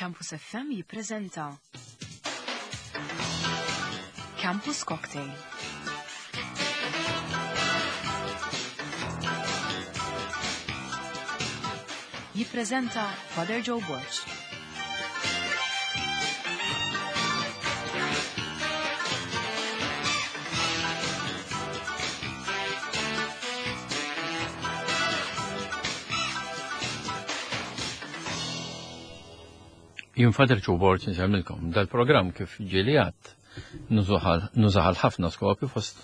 Campus FM jippreżenta Campus Cocktail. Jippreżenta Father Joe Borg. Jien Father Joe Borg nsemmilkom dal-programm kif ġieli għadd nużaħal ħafna skopi fost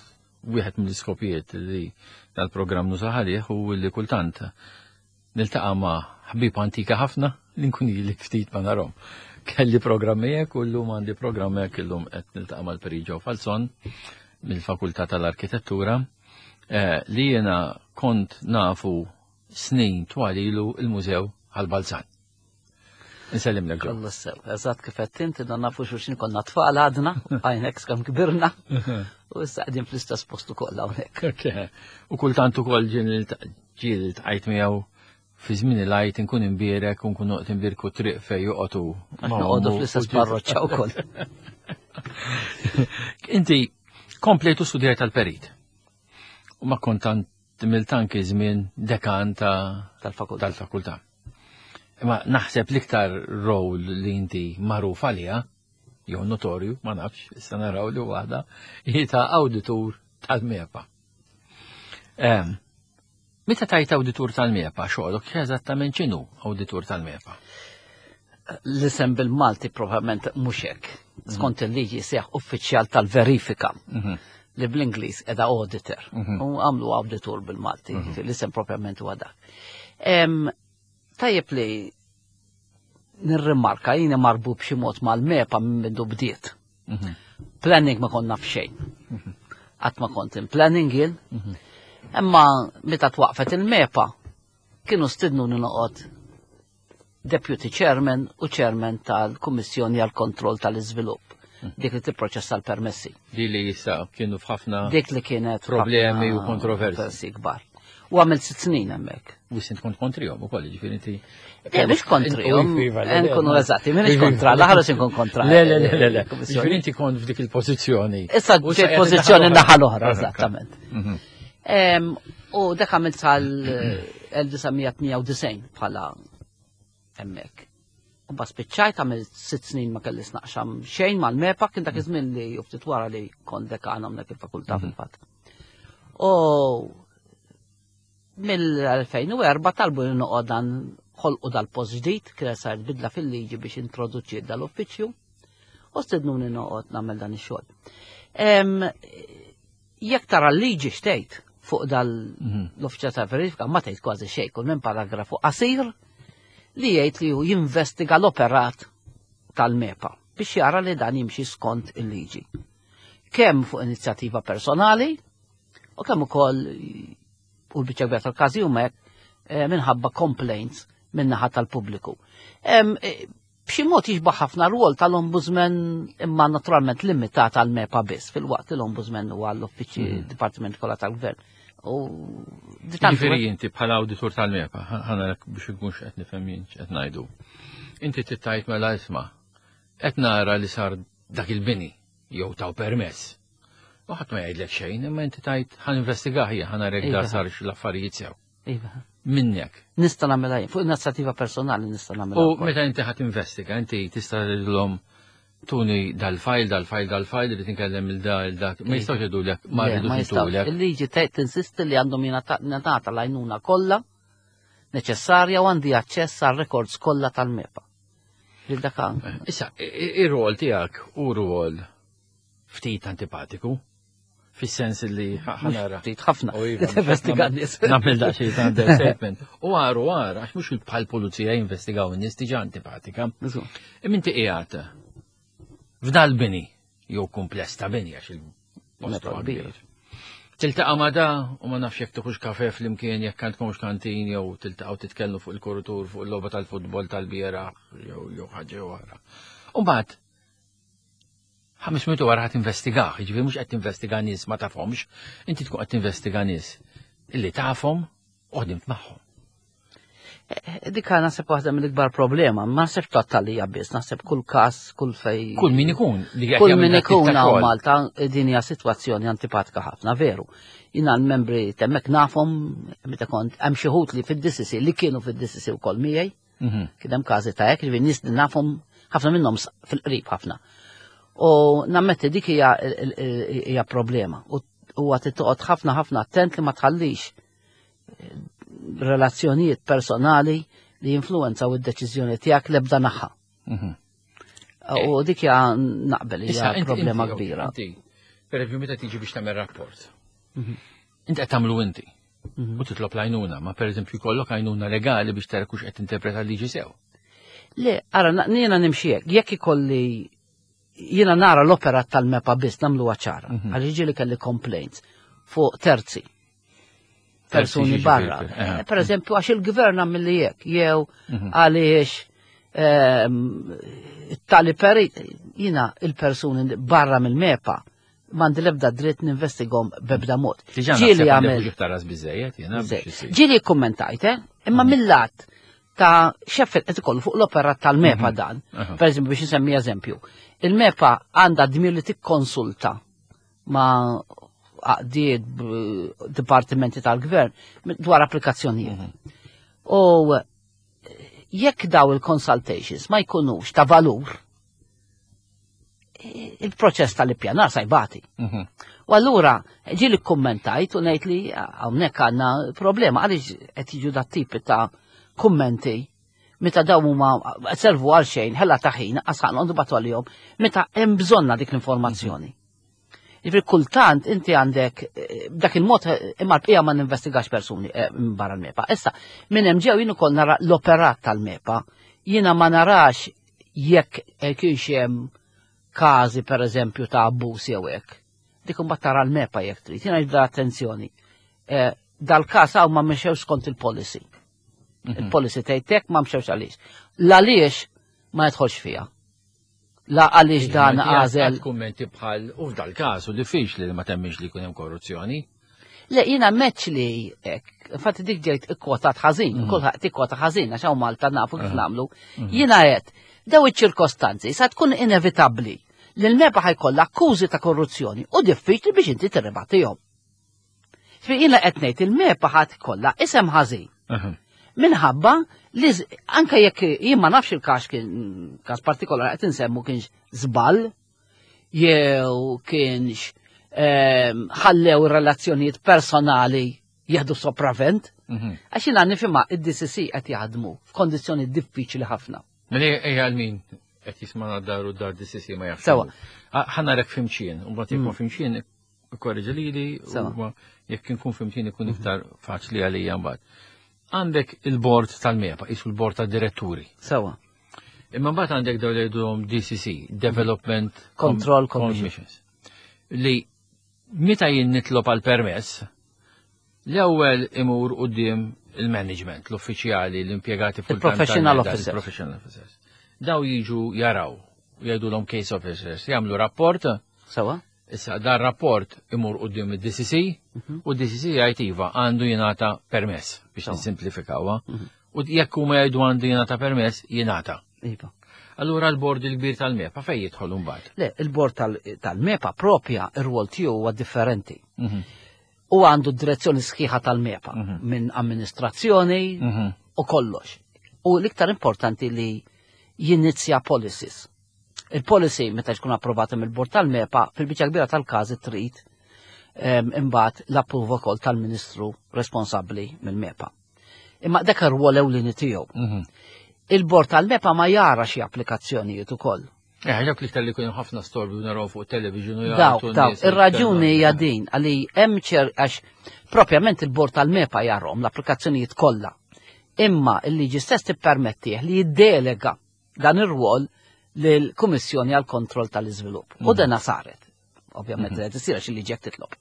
wieħed mill-iskopijiet li dal-programm nużaħalih u li kultant Niltaqa' ma' ħbieb antika ħafna li nkun ili ftit ma narhom. Kelli programm miegħek u llum għandi programm hekk illum qed niltaqa' mal-Peri Joe Falzon mill-Fakultà tal-Arkitettura eh, li jiena kont nafu snin twal ilu il-Mużew Ħal-Balzan. Nsellimlek Joe. Kollu sew, eżatt kif qed inti dan nafu xulxin konna tfal għadna, għajnek skam kbirna, u issa qegħdin fl-istess post ukoll hawnhekk. U kultant ukoll ġien Ġieli ltqajt miegħu fi żmien il-Għid inkun imbierek u nkun noqgħod imbierku t-triq fejn joqgħod hu. Għax noqogħdu fl-istess parroċċa wkoll. Inti komplejtu studjajt tal-perit. U ma kont għamilt anki żmien dekan tal-fakultà. Tal-fakultà. Imma naħseb l-iktar rol li inti magħruf għaliha, jew notorju, ma nafx, issa naraw li waħda, hi ta' awditur tal-MEPA. Meta tajt awditur tal-MEPA, xogħolok eżattament x'inhu awditur tal-MEPA? L-isem bil-Malti probabbilment mhux hekk. Mhm. Skont il-liġi seħ uffiċjal tal-verifika mhm. li bl-Ingliż edha auditor. Mhm. U għamlu auditur bil-Malti, l-isem propjament huwa dak. Tajjeb li nirrimarka jiena marbu b'xi mod mal-MEPA minn mindu bdiet. Mhm. Planning ma konna f'xejn. Mhm. Qatt ma kont in planning jien. Mhm. Imma meta twaqfet il-MEPA kienu stidnu noqgħod deputy chairman u chairman tal-Kummissjoni għal kontroll tal-Iżvilupp dik li tipproċessa l-permessi. Di li jissa kienu f'ħafna dik li kienet problemi u kontroversi kbar. U għamilt sitt snin hemmhekk. U sint kont kontrihom ukoll, ġifieri inti. Le, mhux kontrihom, eh, nkunu eżatti, m'iniex kontra, l-aħħar inkun kontra. Le, le, le, le, Ġifieri inti kont f'dik il-pożizzjoni. Issa ġejt pożizzjoni naħa l-oħra, eżattament. Mhm. U dak għamilt sal-1998 bħala hemmhekk. U ba spiċċajt għamilt sitt snin ma kellis naqxam xejn mal-MEPA kien dak iż-żmien li ftit wara li kont dekan hawnhekk il-fakultà mhm. fil-fatt. U mill-2004 talbu li noqgħod dan ħolqu dal-post ġdid, kienet saret bidla fil-liġi biex introduċi dal-uffiċċju u stidnuni noqgħod nagħmel dan ix-xogħol. Jekk tara l-liġi xtejt fuq dal mhm. l-uffiċċju ta' verifika ma tgħid kważi xejn kull minn paragrafu qasir li jgħid li hu jinvestiga l-operat tal-MEPA biex jara li dan jimxi skont il-liġi. Kemm fuq inizjattiva personali u kemm ukoll u l-biċċa kbira tal-każi huma hekk eh, minħabba complaints min-naħa tal-pubbliku. Eh, b'xi mod jixbaħ ħafna rwol tal-ombudsman imma naturalment limitat għal MEPA biss fil-waqt l-ombudsman huwa l-uffiċċji mm. dipartiment kollha tal-gvern. U Ġifieri inti bħala awditur tal-MEPA, ħana biex ikunx qed nifhem jien qed ngħidu. Inti tittajt mela isma' qed nara li sar dak il-bini jew taw permess. U ħadd ma jgħidlek xejn, imma inti tajt ħan investigah hija ħan narek da iva. sarx l-affarijiet sew. Iva. Minnek. Nista' nagħmilha jien, fuq inizjattiva personali nista' nagħmilha. U meta inti ħadd investiga, inti tista' tgħidilhom tuni dal-fajl, dal-fajl, dal-fajl, li tinkellem il-da, il-dak. Ma iva. jistgħux jgħidulek, ma rridux jgħidulek. Il-liġi tinsisti li għandhom jingħata l-għajnuna kollha neċessarja u għandi aċċess għal records kollha tal-MEPA. Lil dak Issa, ir-rol tiegħek u rol ftit antipatiku fis-sens li ħanara. Ftit ħafna. Iva, Investiga n-nies. Nagħmel daqsxejn ta' understatement. U għar u għar, għax mhux bħal pulizija jinvestigaw in-nies diġà antipatika. Imma inti qiegħed f'dal bini jew kumpless ta' bini għax il-post kbir. Tiltaqa' ma' da u ma nafx jekk tieħux kafe flimkien jekk għandkomx kantin jew tiltaqgħu titkellmu fuq il-kuritur fuq il-logħba tal-futbol tal-bieraħ jew jew ħaġa oħra. U mbagħad 500 wara ħadd investigah, jiġifieri mhux qed tinvestiga nies ma tafhomx, inti tkun qed tinvestiga nies illi tafhom u ħdimt magħhom. Dik naħseb waħda mill-ikbar problema, ma naħseb tottalija biss, naħseb kull każ, kull fej. Kull min ikun li Kull min ikun hawn Malta din hija sitwazzjoni antipatika ħafna, veru. Jina l-membri temmek nafhom meta kont hemm xi li fid-DCC li kienu fid-DCC wkoll miegħi. Kien hemm każi ta' hekk, ġifieri nies li nafhom ħafna minnhom fil-qrib ħafna. U nammetti dik hija problema. U huwa tittoqgħod ħafna ħafna attent li ma tħallix relazzjonijiet personali li jinfluwenzaw id-deċiżjoni tiegħek l-ebda naħa. U dik hija naqbel hija problema kbira. Per eżempju, meta tiġi biex tagħmel rapport. Inti qed tagħmlu inti. U titlob l-għajnuna, ma per eżempju jkollok għajnuna legali biex tara kux qed interpreta l-liġi sew. Le, ara, jiena nimxi hekk, jekk ikolli jiena nara l-operat tal-MEPA biss nagħmluha ċara, għaliex ġieli kelli complaints fuq terzi. Persuni barra. Per eżempju, għax il-gvern għamilli jekk, jew għaliex tali perit, jiena il-persuni barra mill-MEPA m'għandi l-ebda dritt ninvestigom b'ebda mod. Ġieli għamel. Ġieli kommentajt, eh? Imma mill-lat ta' xeffet qed ikollu fuq l-operat tal-MEPA dan. Per eżempju, biex nsemmi eżempju, il-MEPA għandha dmir li tikkonsulta ma' għaqdiet dipartimenti tal-gvern dwar applikazzjonijiet. U jekk daw il-consultations ma jkunux ta' valur, il-proċess tal-ippjanar sa jbati. U allura ġieli kkummentajt u ngħid li hawnhekk għandna problema għaliex qed jiġu dat tip ta' kummenti meta dawn huma servu għal xejn, ħela ta' ħin, għasħan għandu batu għalihom, meta hemm bżonna dik l-informazzjoni. Jiġifieri kultant inti għandek b'dak il-mod imma l-bqija ma ninvestigax persuni minn barra l-MEPA. Issa, minn hemm ġew jien ukoll nara l-operat tal-MEPA, jiena ma narax jekk kienx hemm każi pereżempju ta' abbuż jew hekk. Dik imbagħad tara l-MEPA jekk trid. Jiena nibda attenzjoni. Dal-każ hawn ma mxewx skont il-policy. Il-policy tgħid hekk ma mxewx għaliex. L-għaliex ma jidħolx fiha. La għaliex dan għażel. Kummenti bħal u f'dal każ u diffiċli li ma temmix li jkun hemm korruzzjoni. Le, jiena meċ li hekk, infatti dik ġejt ikkwotat ħażin, kulħadd ikkwota ħażin għax hawn Malta nafu kif nagħmlu. Jiena qed daw iċ-ċirkostanzi sa tkun inevitabbli li l-MEPA ħajkollha akkużi ta' korruzzjoni u diffiċli biex inti tirribattihom. Fi jiena qed ngħid il-MEPA ħadd kollha isem ħażin. Minħabba li anke jekk jien ma nafx il-każ kien każ partikolari qed insemmu kienx żball jew kienx ħallew relazzjonijiet personali jieħdu sopravvent. Għax jiena nifhimha id-DCC qed jaħdmu f'kondizzjoni diffiċli ħafna. Mela ejja għal min qed jisma' dar u dar DCC ma jafx. Sewa. Ħa narek fimxien, u mbagħad jekk ma fimxien korreġi lili, u jekk inkun fimxien ikun iktar faċli għalija mbagħad. Għandek il-bord tal-MEPA, isu l-bord tad-diretturi. Sewa. Imma mbagħad għandek dawn li jgħidulhom DCC, Development Control Commission. Commissions. Li meta jien nitlob għal permess, l-ewwel imur quddiem il-management, l-uffiċjali, l-impjegati full-time Il-professional tal-MEPA, officers. il-professional officers. Daw jiġu jaraw, jgħidulhom case officers, jagħmlu rapport. Sewa. Issa dan rapport imur quddiem id-DCC u d-DCC jgħid iva għandu jingħata permess biex nissimplifikawha. U jekk huma jgħidu għandu jingħata permess, jingħata. Iva. Allura l-bord il-kbir tal-MEPA fejn jidħol mbagħad? Le, il-bord tal-MEPA propja ir-rwol tiegħu huwa differenti. U għandu direzzjoni sħiħa tal-MEPA minn amministrazzjoni u kollox. U l-iktar importanti li jinizja policies. Il-policy meta tkun approvata mill-bord tal-MEPA fil-biċċa kbira tal-każi trid imbagħad l-approva wkoll tal-Ministru responsabbli mill-MEPA. Imma dak ir-rwol ewlieni tiegħu. Il-bord tal-MEPA ma jara xi applikazzjonijiet ukoll. Dak li tal-li kun ħafna storbi u naraw fuq television u Daw, jagħtu daw, n-nies ir-raġuni jitkellmu. hija din għalli hemm ċer għax propjament il-bord tal-MEPA jarhom l-applikazzjonijiet kollha. Imma il-liġi stess tippermettih li jiddelega dan ir-rwol lill-Kummissjoni għall kontroll tal-Iżvilupp. U dena saret. Ovvjament qed isir għax il-liġi qed titlob.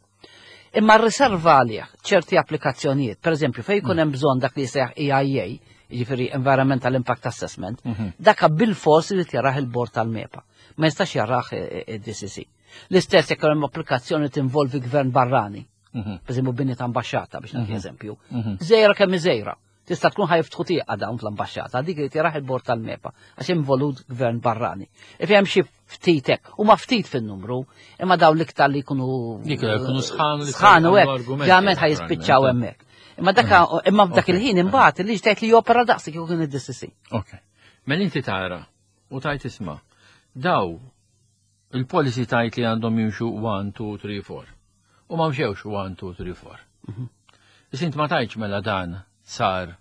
Imma r-riserva għalih ċerti applikazzjonijiet, per eżempju, fejn jkun hemm bżonn dak li jsejjaħ EIA, jiġifieri Environmental Impact Assessment, dak bil-fors li jarah il-bord tal-MEPA. Ma jistax jarah id-DCC. L-istess jekk hemm applikazzjoni tinvolvi gvern barrani, per eżempju bini ta' ambaxxata biex nagħti eżempju. Żejra kemm żejra. Tista' tkun ħa jiftħu tieqa dawn fl-ambaxxata, dik irid jaraħ il-bord tal-MEPA għax involut gvern barrani. If hemm xi ftit hekk, huma ftit fin-numru, imma dawn l-iktar li jkunu Dik li jkunu sħan li sħan u hekk, argumenti, ġament ħa jispiċċaw hemmhekk. Imma dak imma f'dak il-ħin imbagħad il-liġi tgħid li jopera daqs kieku kien id-DCC. Ok. Mela inti tara u tajt isma' daw il-policy tajt li għandhom jimxu 1, 2, 3, 4. U ma mxewx 1, 2, 3, 4. Issa int ma tajtx mela dan sar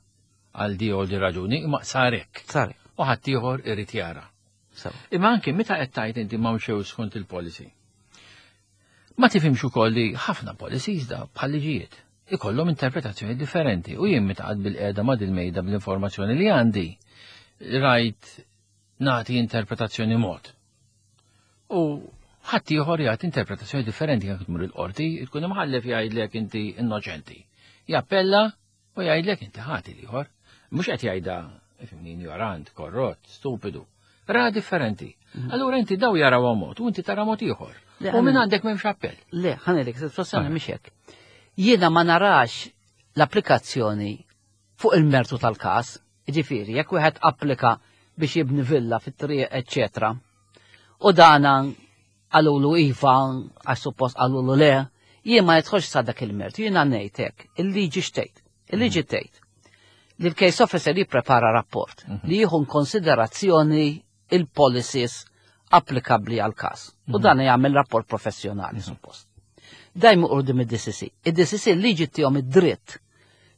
għal di u di raġuni, imma sar hekk. Sar. U ħadd ieħor irid jara. Sew. Imma anke meta qed tajt inti ma mxew skont il-policy. Ma tifhimx ukoll li ħafna policies da bħal liġijiet ikollhom interpretazzjoni differenti u jien meta qgħad bil-qiegħda ma' dil-mejda bl-informazzjoni li għandi rajt nagħti interpretazzjoni mod. U ħadd ieħor jagħti interpretazzjoni differenti jekk tmur il-qorti, tkun imħallef jgħidlek inti innoċenti. Jappella u jgħidlek inti ħati l-ieħor. Mhux qed jgħidha ifhimni ignorant, korrott, stupidu. Ra differenti. Allura inti daw jaraw mod u inti tara mod ieħor. Le, U minn għandek m'hemmx appell. Le, ħa ngħidlek, sitwazzjoni mhix hekk. Jiena ma narax l-applikazzjoni fuq il-mertu tal-każ, jiġifieri jekk wieħed applika biex jibni villa fit-triq, eċċetera. U dana qalulu iva, għax suppost qalulu le, jien ma jidħolx sa dak il-mertu, jiena ngħid hekk, il-liġi x'tgħid. Il-liġi tgħid li l-case officer jipprepara rapport li jieħu konsiderazzjoni il-policies applikabbli għal każ. U dan jagħmel rapport professjonali suppost. Dajmu quddiem id-DCC. Id-DCC liġi ttihom id-dritt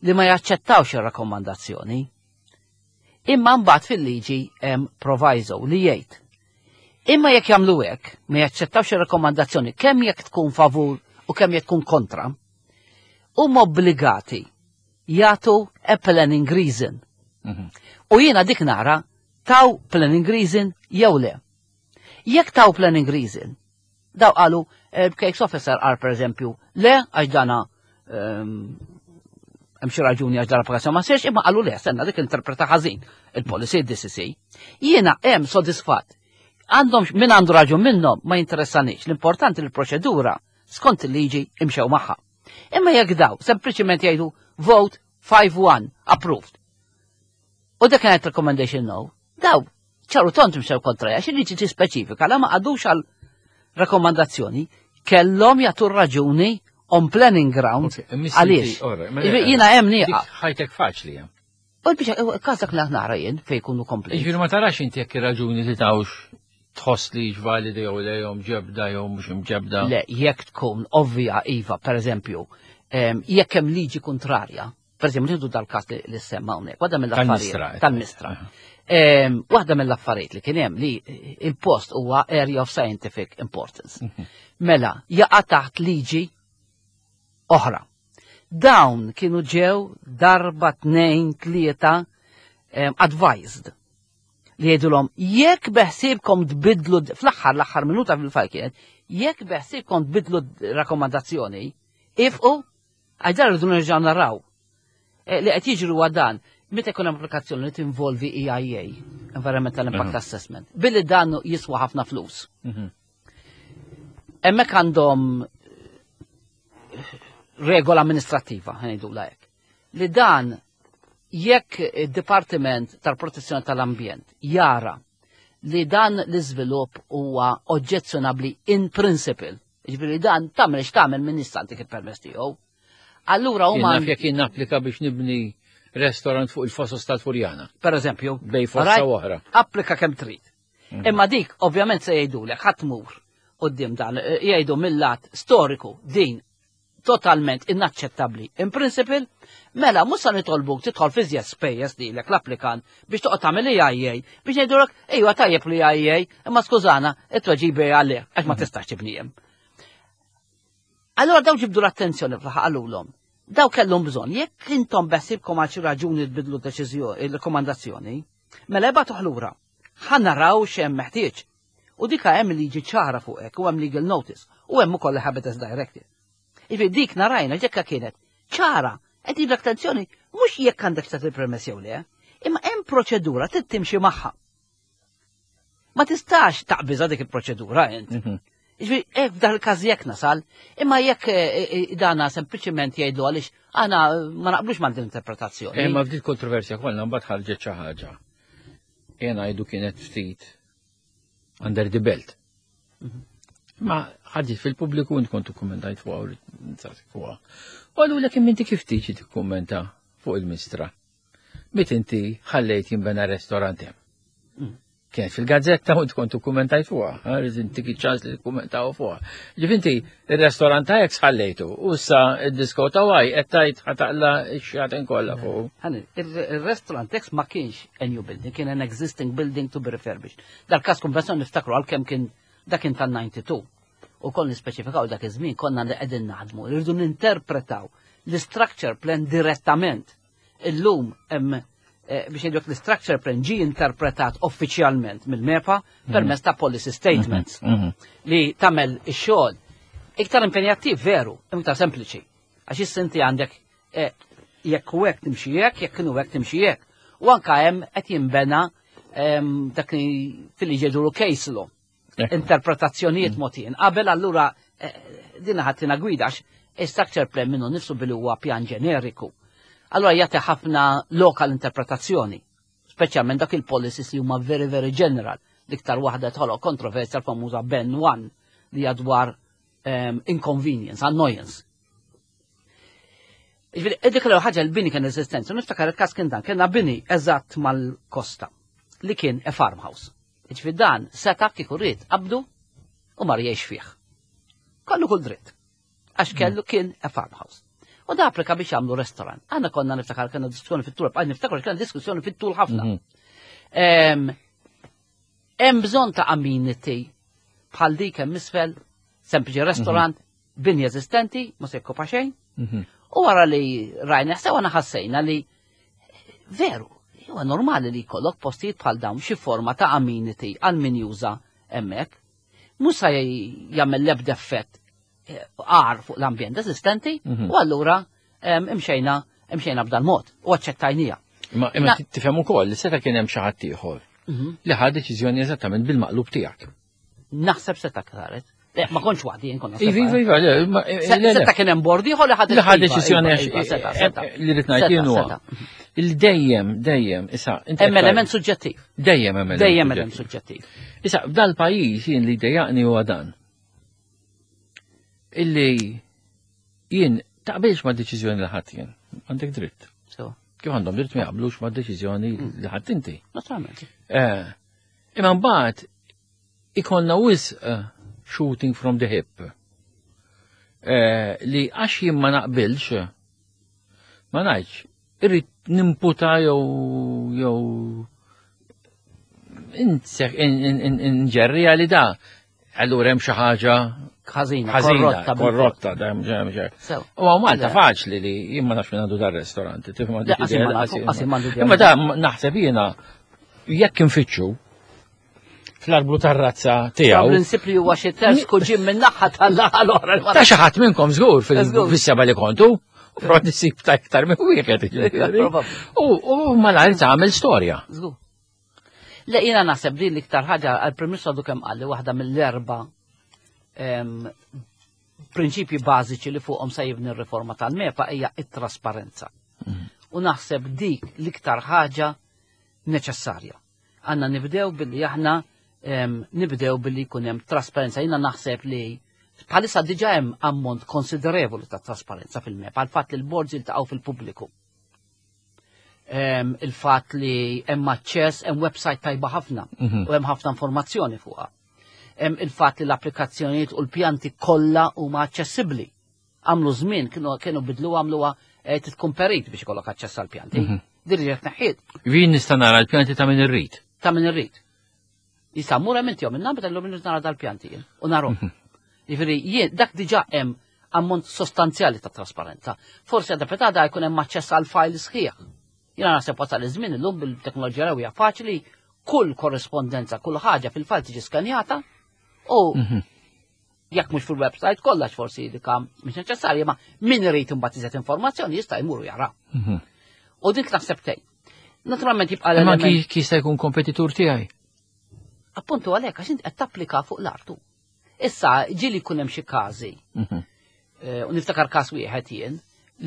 li ma jaċċettawx ir-rakkomandazzjoni. Imma mbagħad fil-liġi hemm proviso li jgħid. Imma jekk jagħmlu hekk, ma jaċċettawx ir-rakkomandazzjoni kemm jekk tkun favur u kemm jekk tkun kontra, huma obbligati jagħtu a planning reason. U jiena dik nara taw planning reason jew le. Jekk taw planning reason, daw qalu case officer qal per eżempju, le għax dana hemm xi raġuni għax dana applikazzjoni ma sirx, imma qalu le, stenna dik interpreta ħażin il-policy DCC. Jiena hemm sodisfatt. Għandhom min għandu raġun minnhom ma jinteressanix. L-importanti li l-proċedura skont il-liġi imxew magħha. Imma jekk daw sempliċiment jgħidu vote 5-1 approved. U dak kienet recommendation no. Daw, ċaru tont mxew kontra għax il-liġi tispeċifika la ma qagħdux għal rakkomandazzjoni kellhom jagħtu raġuni on planning ground għaliex. Jiena hemm nieqaf. Ħajtek faċli hemm. U l-biċa, każak nara jien fejn jkunu kompli. Jiġifieri ma tarax inti jekk ir-raġuni li tawx tħoss li validi jew le jew mġebda jew mhux imġebda. Le, jekk tkun ovvja iva, per eżempju, jekk hemm liġi kontrarja, per eżempju, nieħdu dal-każ li semma hawnhekk, waħda mill-affarijiet tal-mistra. Waħda mill-affarijiet li kien hemm li il-post huwa area of scientific importance. Mela, jaqa' taħt liġi oħra. Dawn kienu ġew darba tnejn tlieta advised li jgħidulhom jekk beħsiebkom tbidlu fl-aħħar l-aħħar minuta fil-fajl kienet jekk beħsiebkom tbidlu rakkomandazzjoni, ifqu għax dan rridu nerġgħu naraw. Li qed jiġri huwa dan, meta jkun hemm applikazzjoni li tinvolvi EIA, Environmental Impact Assessment, billi dan jiswa ħafna flus. Hemmhekk għandhom regola amministrattiva, ngħidu hekk. Li dan jekk id-Dipartiment tal-Protezzjoni tal-Ambjent jara li dan l-iżvilupp huwa oġġezzjonabbli in principle, jiġifieri dan tagħmel x'tagħmel minn issa dik il-permess tiegħu. Allura huma Jien naf jekk jien napplika biex nibni restaurant fuq il-fosos tal-Furjana. Per eżempju, Bej fossa oħra. Applika kemm trid. Imma dik ovvjament se jgħidulek ħadd tmur quddiem dan jgħidu mill-lat storiku din totalment inaċċettabbli. In principle, mela mhux se nitolbuk tidħol fi żjed spejjeż lilek l-applikant biex toqgħod tagħmel EIA biex ngħidulek ejwa tajjeb li EIA, imma skużana, it-tweġiba għalih għax ma tistax tibni hemm. Allora daw ġibdu l-attenzjoni fl-aħħar qalulhom. Daw kellhom bżonn, jekk intom beħsibkom għal xi raġuni tbidlu deċiżjoni, il-rekomandazzjoni, mela ibgħatu lura. Ħa naraw x'hemm meħtieġ. U dika hemm liġi ċara fuq hekk u hemm legal notice u hemm ukoll Habitats Directive. Ifi dik narajna ġekka kienet ċara, qed jibda attenzjoni mhux jekk għandek tagħti permess jew le, imma hemm proċedura trid timxi magħha. Ma tistax taqbiża dik il-proċedura int. Ġifieri hekk f'dan il-każ jekk nasal, imma jekk eh, eh, dana sempliċiment jgħidu għaliex aħna ma naqblux ma' din interpretazzjoni. Imma f'din kontroversja kollha mbagħad ħarġet xi ħaġa. Jena ngħidu kienet ftit under the belt. Ma ħarġet fil-pubbliku int kont ikkummentajt fuqha u fuqha. U għalulek imma inti kif tiġi tikkummenta fuq il-mistra? Mit inti ħallejt jinbena restorant hemm. Kienet fil-gazzetta u tkun tukkumentajt fuqha, rrid intik iċ-ċans li tikkummentaw fuqha. Ġif inti ir-restorant ta' ex ħallejtu u issa id-disko ta' waj qed tgħid ħataqla x-xjaten kollha fuq. Ħani, il-restaurant ex ma kienx a new building, kien an existing building to be refurbished. Dal-każ konvenzjoni niftakru għalkemm kien dak kien tal-92. U konna nispeċifikaw dak iż-żmien konna li qegħdin naħdmu, irridu ninterpretaw l-structure plan direttament. Illum hemm eh, biex ngħidlek l-structure plan ġi interpretat uffiċjalment mill-MEPA permezz ta' policy statements li tagħmel ix-xogħol iktar impenjattiv veru, iktar sempliċi. Għax issa inti għandek eh, jekk u hekk timxi hekk, jekk kienu hekk timxi hekk. U anka hemm qed jinbena em, dak li fil-liġi jgħidulu case law interpretazzjonijiet mogħtijin. Qabel allura eh, din ħadtina gwida għax structure plan minnu nifsu billi huwa pjan ġeneriku. Allura jagħti ħafna lokal interpretazzjoni, speċjalment dak il-policies li huma very very general. L-iktar waħda tħoloq kontroversja l-famuża Ben 1 li hija dwar inconvenience, annoyance. Ġifieri, dik l ħaġa l-bini kien eżistenza, niftakar il-każ kien dan, kellna bini eżatt mal-kosta li kien a farmhouse. Ġifieri dan seta' kieku ried qabdu u mar jgħix fih. Kollu kull dritt. Għax kellu kien a farmhouse. U da applika biex jagħmlu restaurant. Aħna konna niftakar kellna diskussjoni fit-tul, għal niftakar kellna diskussjoni fit-tul ħafna. Hemm bżonn ta' amenity bħal dik hemm isfel, sempliċi restaurant, bini eżistenti, ma se jokkupa xejn. U wara li rajna sewa ħassejna li veru, huwa normali li jkollok postijiet bħal dawn xi forma ta' amenity għal min juża hemmhekk. Mhux se jagħmel l-ebda effett għar fuq l-ambjent eżistenti u allura imxejna imxejna b'dan mod u aċċettajnija. Imma imma tifhem ukoll li seta' kien hemm xi ħadd ieħor li ħa deċiżjoni eżattament bil-maqlub tiegħek. Naħseb seta' saret. Ma kontx waħdi jien konna. Iva, iva, iva, le, le, le. Seta' kien hemm bord ieħor li ħad Li ħa deċiżjoni għax iva, seta', seta'. li rrid ngħid jien huwa il dejjem, dejjem, issa, inti Hemm element suġġettiv. Dejjem hemm element Dejjem element suġġettiv. Issa, f'dal-pajjiż jien li dejjaqni huwa dan. Illi jien taqbilx ma' deċiżjoni li ħadd jien. Għandek dritt. So, Kif għandhom dritt ma jaqblux ma' deċiżjoni li ħadd inti. Naturalment. Imma mbagħad ikollna wisq shooting from the hip. Li għax jien ma naqbilx, ma ngħidx, irrid nimputa jew inġerrija li da. Allura hemm xi ħaġa ħażina, korrotta, korrotta, da hemm xi. Sew. U għaw Malta faċli li jien ma nafx minn għandu dar-restorant, tifhem għandu idea, Imma da naħseb jiena jekk infittxu fl-arblu tar-razza tiegħu. Prinċip li huwa xi terz kuġin minn naħa tal-naħa l-oħra. Ta' xi ħadd minnkom żgur fis-seba li kontu, u pront issib ta' iktar minn wieħed. Probabbli. U malajr tagħmel storja. Żgur. Le jiena naħseb li l-iktar ħaġa għall-Prim Ministru għadu kemm qal li waħda mill-erba prinċipji bażiċi li fuqhom se jibni r-riforma tal-MEPA hija it-trasparenza. U naħseb dik l-iktar ħaġa neċessarja. Għandna nibdew billi aħna nibdew billi jkun hemm trasparenza. Jiena naħseb li bħalissa diġà hemm ammont konsiderevoli ta' trasparenza fil-MEPA, għal fatt li l-boards jiltaqgħu fil-pubbliku. Il-fatt li hemm aċċess, hemm website tajba ħafna u hemm ħafna informazzjoni fuqha. Hemm il-fatt li l-applikazzjonijiet u l-pjanti kollha huma aċċessibbli. Għamlu żmien kienu bidlu għamluha tkun perit biex ikollok aċċess għall-pjanti. Din li qed neħħiet. Jien nista' nara l-pjanti ta' min irrid. Ta' min irrid. Jista' mmur hemm inti minn nagħmel illum nara dal-pjanti jien u narhom. Jiġifieri jien dak diġà hemm ammont sostanzjali ta' trasparenza. Forsi għadha petada jkun hemm aċċess għal file sħiħ. Jiena naħseb wasal iż-żmien illum bil-teknoloġija hija faċli, kull korrespondenza, kull ħaġa fil-file tiġi skanjata u jekk mhux fil-website kollox forsi dika mhux neċessarja, ma min irid imbagħad iżjed informazzjoni jista' jmur jara. U dik naħseb tgħin. Naturalment jibqa' Imma l-element. Kif jista' jkun kompetitur tiegħi? Appuntu għalhekk għax inti qed tapplika fuq l-artu. Issa ġieli jkun hemm xi każi. Eh, u niftakar każ wieħed jien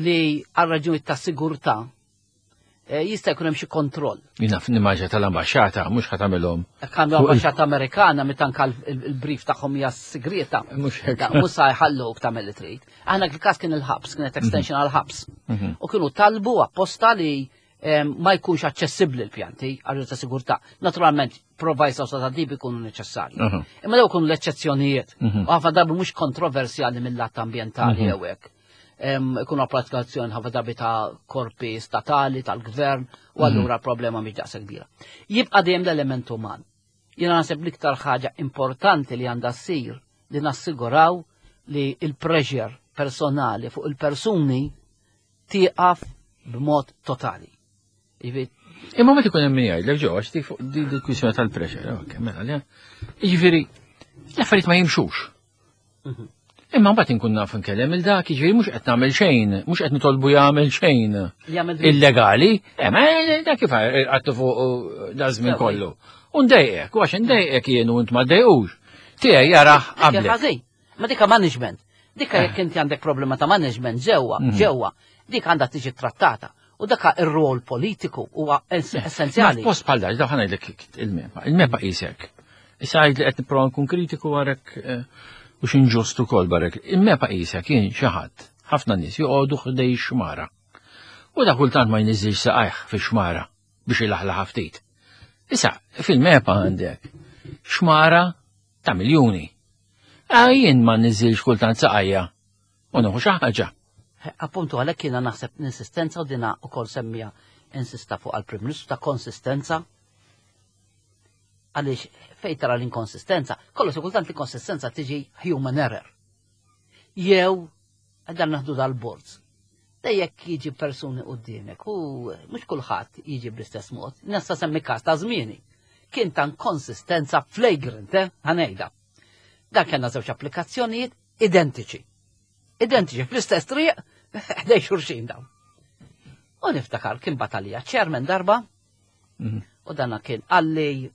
li għal raġuni ta' sigurtà eh, jista' jkun hemm xi kontroll. Jien naf nimmaġa tal-ambaxxata mhux ħa tagħmilhom. Għandu ambaxxata Amerikana meta anka l-brief tagħhom hija segreta. Mhux hekk. Mhux sa jħalluk tagħmel li trid. Aħna il-każ kien il-ħabs, kienet extension għall-ħabs. U kienu talbu apposta li ma jkunx aċċessibbli l-pjanti għal ta' sigurtà. Naturalment, provisos ta' dib ikunu neċessarji. Imma daw ikunu l-eċċezzjonijiet. U ħafna drabi mhux kontroversjali mill-lat ambjentali mhm. jew hekk. Ikunu applikazzjoni ħafna drabi ta' korpi statali, tal-gvern, u mhm. allura problema mhix daqshekk kbira. Jibqa' dejjem l-element uman. Jiena naħseb l-iktar ħaġa importanti li għandha ssir li nassiguraw li il-pressure personali fuq il-persuni tieqaf b'mod totali. Imma meta ikun hemm min jgħidlek ġew għax dik fuq di l-kwistjoni tal-pressure, ok, mela le. Jiġifieri l-affarijiet ma jimxux. Mhm. Imma mbagħad inkun naf nkellem il dak, jiġifieri mhux qed nagħmel xejn, mhux qed nitolbu jagħmel xejn illegali, eh, ma dak kif għattu fuq uh, da żmien kollu. U ndejqek, u għax ndejqek jien u int ma ddejqux. Tiegħi jarah qabel. Ma dika management. Dika jekk inti għandek problema ta' management ġewwa, mhm. ġewwa, dik għandha tiġi trattata. U daka ir-rol politiku huwa essenzjali. Post bħal dak, daħan ngħidlek il-MEPA. Il-MEPA qisek. Issa għid li qed nipprova nkun kritiku għarek eh, u x'inġust ukoll barek. Il-MEPA qisek jien xi ħadd, ħafna nies joqogħdu ħdej xmara. U da kultant ma jniżilx saqajh fi xmara biex ilaħlaħ ftit. Issa, fil-MEPA għandek xmara ta' miljuni. Ah, jien ma niżilx kultant saqajja u nieħu xi ħaġa. Appuntu għalhekk jiena naħseb l-insistenza u dina ukoll semmija insista fuq għall-Prim Ministru ta' konsistenza għaliex fejn tara l-inkonsistenza, kollu kultant l-inkonsistenza tiġi human error. Jew Dan naħdu dal-boards. Da jekk jiġi persuni qudiemek u mhux kulħadd jiġi bl-istess mod. Nista' semmi każ ta' żmieni. Kien ta' konsistenza flagrant, eh, ħanejda. Dan kellna żewġ applikazzjonijiet identiċi. Identiċi fl-istess triq ħdej xurxin dawn. U niftakar kien batalija chairman darba mhm. u dana kien għalli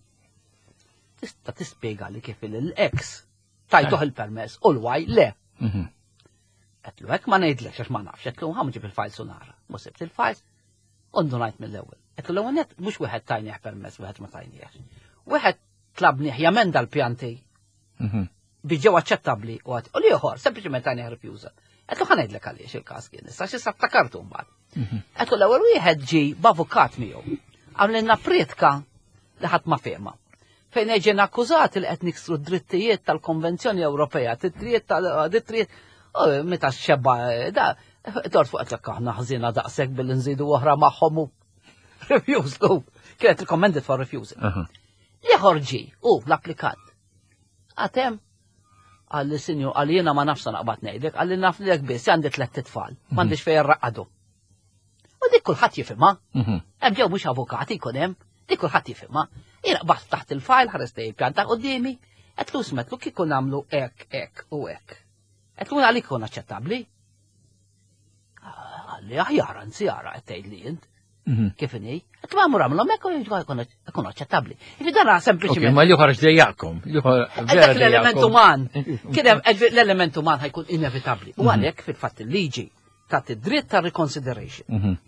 tista' tispjega li kif il-ex tajtuh il-permess u l-waj le. Mhm. Għetlu hekk ma ngħidlekx għax ma nafx, għetlu ħa ġib il-files u nara. Mu sibt il-files, u ngħid mill-ewwel. Għetlu l-ewwel net mhux wieħed tajnieh permess, wieħed ma tajnieh. Wieħed tlabnieh jamenda l-pjanti mhm. biex ġew aċċettabbli u għat u l-ieħor sempliċement tajnieh refusal. Għetlu ħa ngħidlek għaliex il-każ kien issa xi ftakartu mbagħad. Mhm. Għetlu l-ewwel wieħed ġi b'avukat miegħu. Għamlilna priedka li ħadd ma fehma. Fejn ġejna akkużati li qed niksru d-drittijiet tal-Konvenzjoni Ewropea, drittijiet tal-drittijiet, meta xebba da, dort fuq qed aħna ħżiena daqshekk billi nżidu oħra magħhom u refusal. Kienet recommended for refusal. Ieħor ġi, u l-applikant. Għatem, għalli sinju, għalli jena ma nafsa naqbad ngħidlek, għalli naf li biss għandi tlett tfal, mhm. m'għandix fejn raqadu. U dik kulħadd jifhimha. Mhm. Hemm ġew mhux avukati jkun hemm, dik kulħadd jifhimha. Jiena qbad taħt il-fajl ħares il-pjan ta' qudiemi, qed lu smetlu kieku nagħmlu hekk, hekk u hekk. Qed lu għalik ikun aċċettabbli. Għalli aħjar anzi ara qed tgħid li int. Mhm. Kif inhi? Qed ma mur għamlhom hekk ikun aċċettabbli. Jiġifieri dan sempliċiment. Ma l-ieħor dejjakom. Dak l-element uman. Kien hemm l-element uman ħajkun inevitabbli. U mhm. għalhekk fil-fatt il-liġi tagħti dritt ta' reconsideration. Mhm.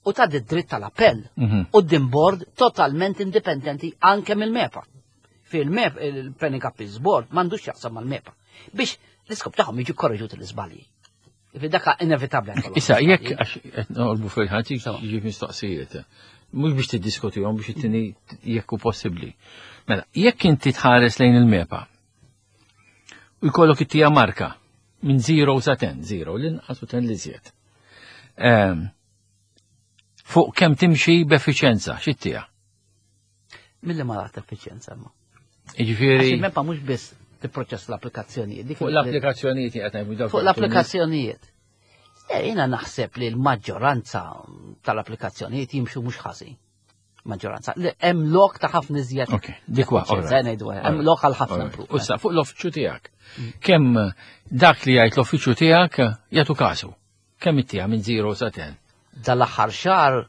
U ta' dritt tal-appell. U din board totalment indipendenti anke mill-MEPA. Fil-MEPA, il-Planning Appeals Board m'għandux jaqsam mal-MEPA. Biex l-iskop tagħhom jiġu korreġuti l-iżbalji. Daka inevitabbli. Issa, jekk għax qed noqolbu fil-ħadd jiġi mistoqsijiet. Mhux biex tiddiskutihom biex it-tieni jekk hu possibbli. Mela, jekk inti tħares lejn il-mepa u jkollok it-tija marka minn 0 sa 10, 0 l-inqas u 10 li żjed. Ehm, fuq kemm timxi b'effiċenza, x'it-tija? Milli ma rat effiċjenza imma. Jiġifieri. Il-MEPA mhux biss tipproċess l-applikazzjonijiet. Fuq l-applikazzjonijiet qed ngħidu Fuq l-applikazzjonijiet. Eh, jiena naħseb li l-maġġoranza tal-applikazzjonijiet jimxu mhux ħażin. Maġġoranza. Hemm lok ta' ħafna iżjed. Ok, dik wa. Hemm lok għal ħafna. Issa fuq l-uffiċċju tiegħek. Mm. Kemm dak li jgħid l-uffiċċju tiegħek jagħtu kasu? Kemm ittieha minn 0 sa 10? Dal-aħħar xahar.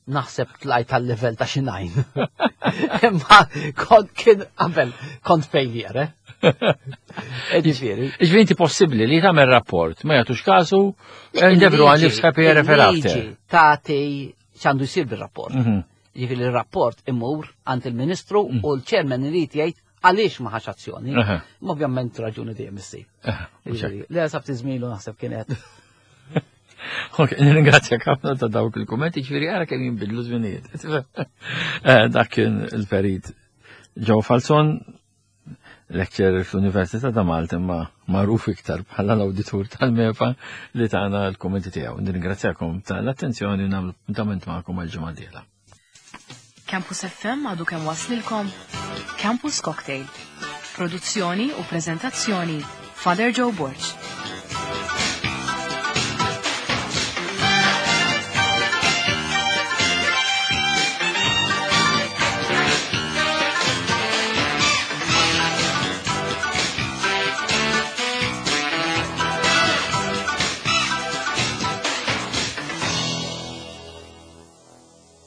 Naħseb tlajt tal-level ta' xi nine. Imma kont kien qabel kont failure, eh? Ġifieri. Ġifieri inti possibbli li tagħmel rapport, ma jagħtux kasu, and everyone lives happy ever after. Tagħti x'għandu jsir bir-rapport. Ġifieri il-rapport imur għand il-Ministru u l-chairman irid jgħid għaliex ma ħax azzjoni. Ma ovvjament raġuni dejjem issib. Le sab tiżmilu naħseb kienet. Ok, nirringrazzjak ħafna ta' dawk il-kummenti, ġifieri ara kemm jinbidlu żminijiet. Dak kien il-perit Joe Falzon, lecturer fl-Università ta' Malta imma magħruf iktar bħala l-awditur tal-MEPA li tagħna l-kummenti tiegħu. Nirringrazzjakom tal-attenzjoni u nagħmlu appuntament magħkom għal ġimgħa d-dieħla. Campus FM għadu kemm waslilkom Campus Cocktail. Produzzjoni u prezentazzjoni Father Joe Borg.